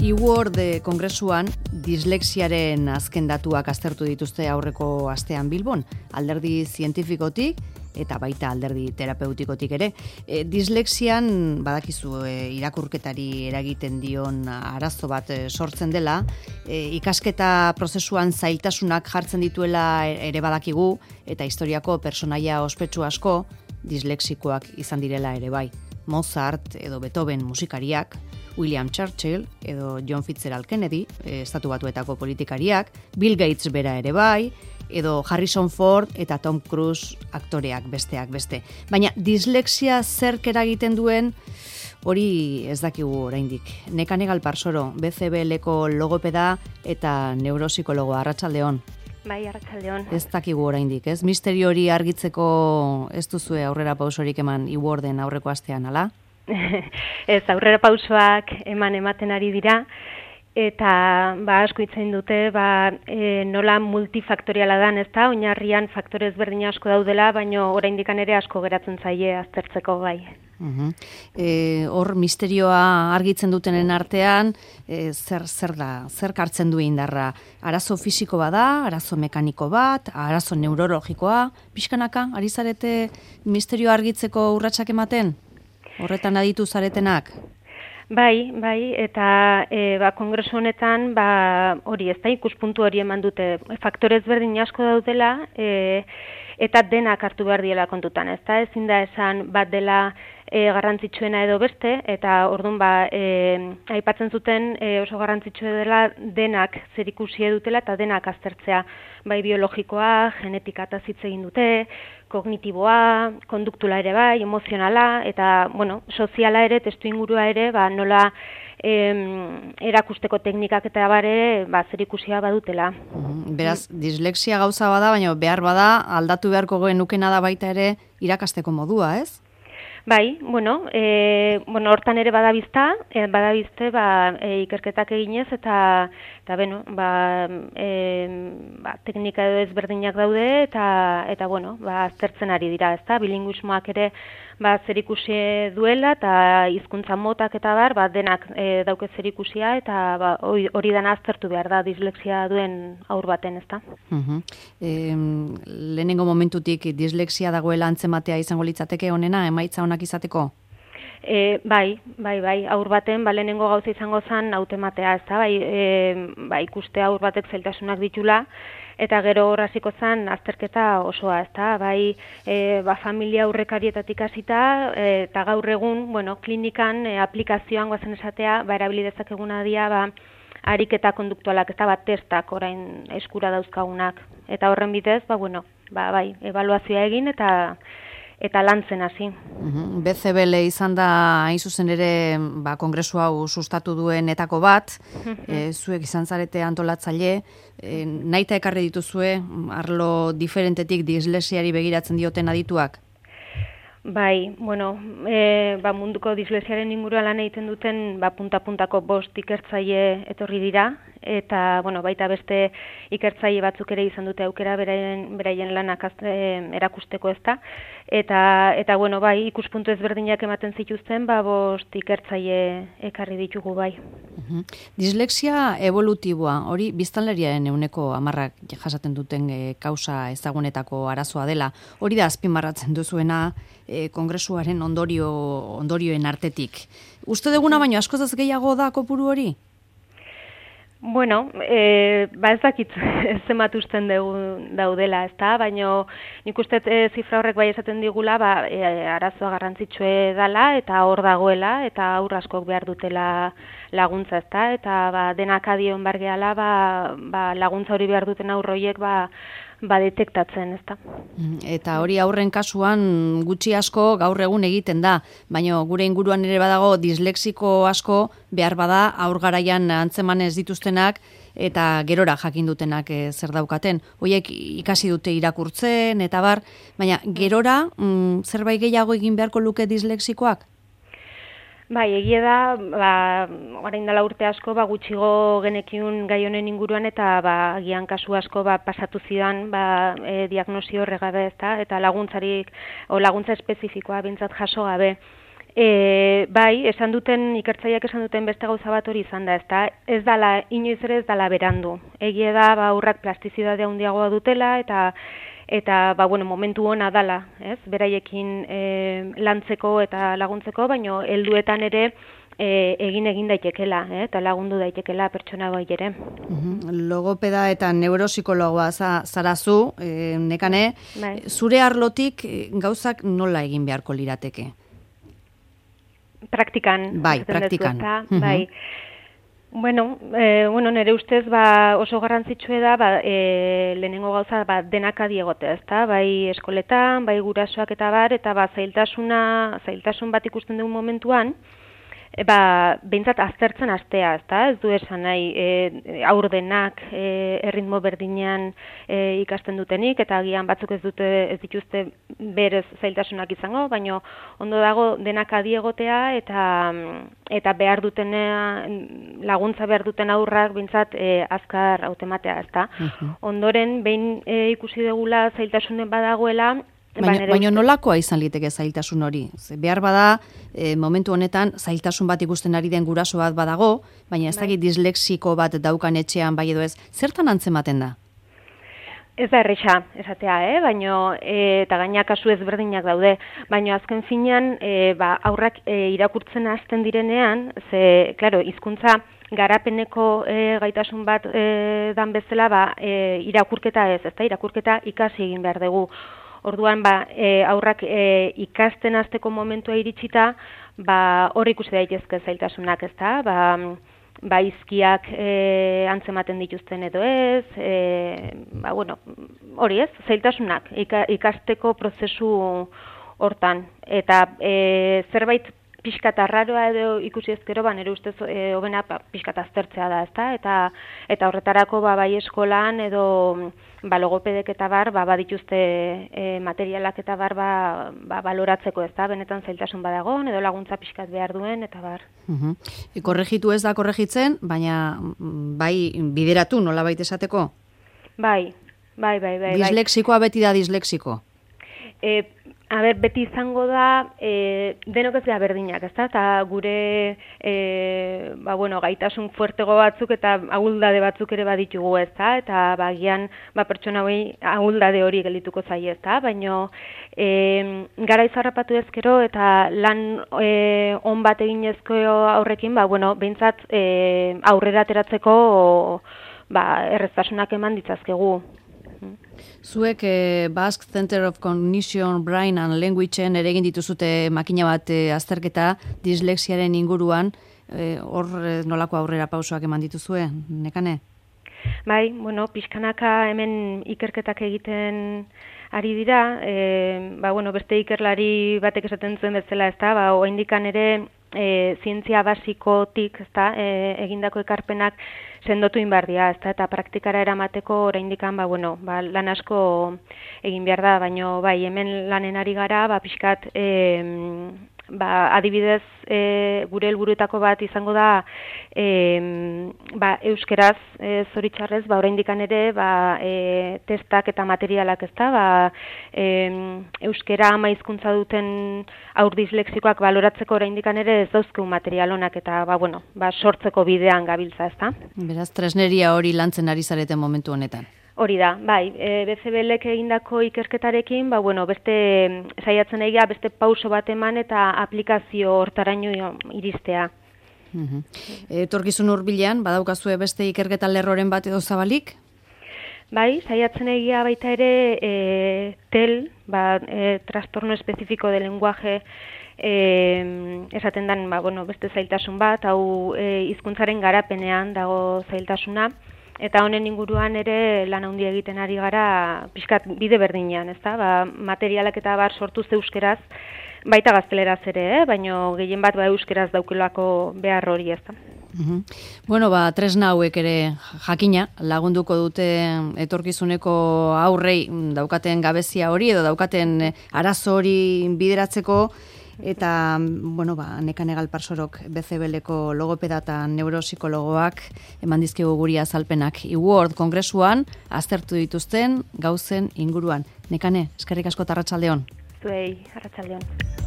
eWorld kongresuan dislexiaren azken datuak aztertu dituzte aurreko astean Bilbon, alderdi zientifikotik eta baita alderdi terapeutikotik ere. Dislexian badakizu irakurketari eragiten dion arazo bat sortzen dela, ikasketa prozesuan zailtasunak jartzen dituela ere badakigu, eta historiako pertsonaia ospetsu asko dislexikoak izan direla ere bai. Mozart edo Beethoven musikariak, William Churchill edo John Fitzgerald Kennedy, Estatu Batuetako politikariak, Bill Gates bera ere bai, edo Harrison Ford eta Tom Cruise aktoreak besteak beste. Baina dislexia zerk eragiten duen hori ez dakigu oraindik. Nekane Galparsoro, BCBLko logopeda eta neuropsikologo. Arratsaldeon. Bai, arratsaldeon. Ez dakigu oraindik, ez? Misterio hori argitzeko ez duzue aurrera pausorik eman eWorlden aurreko astean, ala? Ez, aurrera pausoak ematen ari dira, eta asko itzen dute, nola multifaktoriala dan, ezta? Oinarrian faktore ezberdin asko daudela, baina oraindikan ere asko geratzen zaie aztertzeko gai. Hor misterioa argitzen dutenen artean, zer hartzen du indarra? Arazo fisiko bada, arazo mekaniko bat, arazo neurologikoa, pixkanaka, ari zarete misterioa argitzeko urratsak ematen? Horretan aditu zaretenak? Bai, eta kongresu honetan hori ez da ikuspuntu hori eman dute. Faktore ezberdin asko daudela, eta denak hartu behar diela kontutan, ez da? Ezin da esan bat dela garrantzitsuena edo beste, eta orduan aipatzen zuten oso garrantzitsua dela denak zerikusia dutela eta denak aztertzea, bai biologikoa, genetika eta hitz egin dute, kognitiboa, konduktuala ere bai, emozionala, eta soziala ere, testu ingurua ere, nola erakusteko teknikak eta ere zerikusia badutela. Beraz, dislexia gauza bada, baina behar bada, aldatu beharko genukena da baita ere irakasteko modua, ez? Bai, hortan ere badabizte ikerketak eginez eta teknika edo ezberdinak daude eta aztertzen ari dira, ezta? Bilinguismoak ere zerikusi duela eta hizkuntza motak eta denak dauke zerikusia eta hori dana aztertu behar da dislexia duen haur baten, ezta? Lehenengo momentutik dislexia dagoela antzematea izango litzateke honena, emaitza onak izateko? Bai, haur baten, lehenengo gauza izango zen hautematea, ez da, ikuste haur batek zailtasunak ditula, eta gero horraziko zen azterketa osoa, ez da, familia aurrekarietatik hasita, eta gaur egun, klinikan, aplikazioan guazen esatea, erabilidezak eguna dira, ariketa konduktualak, ez da, testak orain eskura dauzkagunak, eta horren bidez, ebaluazioa egin, eta lantzen hasi. BCBL izan da hain zuzen ere kongresu hau sustatu duenetako bat, zuek izan zarete antolatzaile, nahita ekarri dituzue arlo diferentetik dislexiari begiratzen dioten adituak? Bai, munduko dislexiaren inguruan lan egiten duten punta-puntako 5 ikertzaile etorri dira, eta baita beste ikertzaile batzuk ere izan dute aukera beraien lanak erakusteko, ezta, eta ikuspuntu ezberdinak ematen zituzten 5 ikertzaile ekarri ditugu bai. Dislexia evolutiboa, hori biztanleriaren 10% jasaten duten kausa ezagunetako arazoa dela, hori da azpimarratzen duzuena kongresuaren ondorioen artetik. Uste duguna baino askoz gehiago da kopuru hori? Ez dakit zenbat usten daudela, ezta, baina nik uste zifra horrek bai esaten digula, arazoa garrantzitsue dela eta hor dagoela eta aur askok behar dutela laguntza, ezta, eta denak adion bargeala laguntza hori behar duten aur horiek detektatzen, ezta. Eta hori aurren kasuan gutxi asko gaur egun egiten da, baina gure inguruan ere badago dislexiko asko behar bada aur garaian antzeman ez dituztenak eta gerora jakin dutenak zer daukaten. Horiek ikasi dute irakurtzen eta baina gerora zerbait gehiago egin beharko luke dislexikoak? Bai, egia da, orain dela urte asko, gutxigo genekiun gai honen inguruan eta agian kasu asko pasatu zidan diagnosi horregabe, ezta, eta laguntza espezifikoa bintzat jaso gabe. Bai, ikertzaileak esan duten beste gauza bat hori izan da, ezta? Ez dala, inoiz ere ez dala berandu. Egia da, aurrak plastizidade handiagoa dutela, eta momentu ona dala, ez? Beraiekin lantzeko eta laguntzeko, baino helduetan ere egin daitekela, eta lagundu daitekela pertsona bai ere. Logopeda eta neuropsikologoa zarazu, Nekane, bai. Zure arlotik gauzak nola egin beharko lirateke? Praktikan. Bai, praktikan. Bai. Nire ustez oso garrantzitsua da lehenengo gauza denak adi egotea, ezta? Bai eskoletan, bai gurasoak eta zailtasun bat ikusten dugun momentuan, behintzat aztertzen hastea, ezta? Ez du esan nahi aurdenak erritmo berdinean ikasten dutenik, eta agian batzuk ez dituzte berez zailtasunak izango, baina ondo dago denak adi egotea eta behar laguntza behar duten aurrak behintzat azkar hautematea, ezta? Ondoren, behin ikusi dugula zailtasunen badagoela, Baina nolakoa izan liteke zailtasun hori? Behar bada, momentu honetan, zailtasun bat ikusten ari den guraso bat badago, baina ez dakit dislexiko bat daukan etxean bai edo ez, zertan antzematen da? Ez da erresa, esatea, baina, eta gaina kasu ezberdinak daude, baina azken finean, aurrak irakurtzen hasten direnean, klaro, hizkuntza garapeneko gaitasun bat dan bezala, irakurketa ez, ezta, irakurketa ikasi egin behar dugu. Orduan, aurrak ikasten hasteko momentua iritsita, hor ikusi daitezke zailtasunak, ezta? Izkiak antzematen dituzten edo ez, hori ez, zailtasunak ikasteko prozesu hortan. Eta zerbait pixkat arraroa edo ikusi ezkero, nire ustez hobena pixkat aztertzea da, ezta? Eta horretarako bai eskolan edo logopedek eta badituzte materialak eta baloratzeko, ezta? Benetan zailtasun badagon edo laguntza pixkat behar duen eta bar. Korregitu ez da korregitzen, baina bai bideratu nolabait esateko? Bai. Dislexikoa beti da dislexiko? Beti izango da, denok ez da berdinak, ezta? Eta gure, gaitasun fuertego batzuk eta ahuldade batzuk ere baditugu, ezta? Eta bagian, pertsona hori ahuldade hori geldituko zaie, ezta? Baina, gara izarrapatu ezkero eta lan on bat egin ezko aurrekin, behintzat aurrera ateratzeko erreztasunak eman ditzazkegu. Zuek Basque Center of Cognition, Brain and Languageen ere egin dituzute makina bat azterketa dislexiaren inguruan, hor nolako aurrera pausoak eman dituzue, Nekane? Bai, pixkanaka hemen ikerketak egiten ari dira, beste ikerlari batek esaten zuen bezala, ezta, oraindikan ere zientzia basikotik, ezta, egindako ekarpenak sendotu inbardia, ezta, eta praktikara eramateko oraindikan lan asko egin behar da, baina hemen lanen ari gara, pixkat adibidez gure helburuetako bat izango da euskeraz zoritxarrez oraindikan ere testak eta materialak, ezta, euskera ama hizkuntza duten haur dislexikoak baloratzeko oraindikan ere ez dauzkegu material onak eta sortzeko bidean gabiltza, ezta. Beraz, tresneria hori lantzen ari zareten momentu honetan. Hori da, bai, BCBLek egindako ikerketarekin, beste saiatzen egia, beste pauso bat eman eta aplikazio hortaraino iristea. Etorkizun hurbilean, badaukazue beste ikerketa lerroren bat edo zabalik? Bai, saiatzen egia baita ere TEL, trastorno espezifiko de lenguaje, esaten den, beste zailtasun bat, hau hizkuntzaren garapenean dago zailtasuna, eta honen inguruan ere lan handia egiten ari gara pixkat bide berdinean, ezta? Materialak eta sortuz euskeraz, baita gazteleraz ere, baina gehien bat euskeraz daukelako behar hori, ezta? Tresna hauek ere jakina, lagunduko dute etorkizuneko aurrei daukaten gabezia hori edo daukaten arazo hori bideratzeko, eta, Nekane Galparsorok BCBLeko logopeda eta neuropsikologoak eman dizkigu guri azalpenak eWorld kongresuan aztertu dituzten gauzen inguruan. Nekane, eskerrik asko eta arratsaldeon. Zuei, arratsaldeon.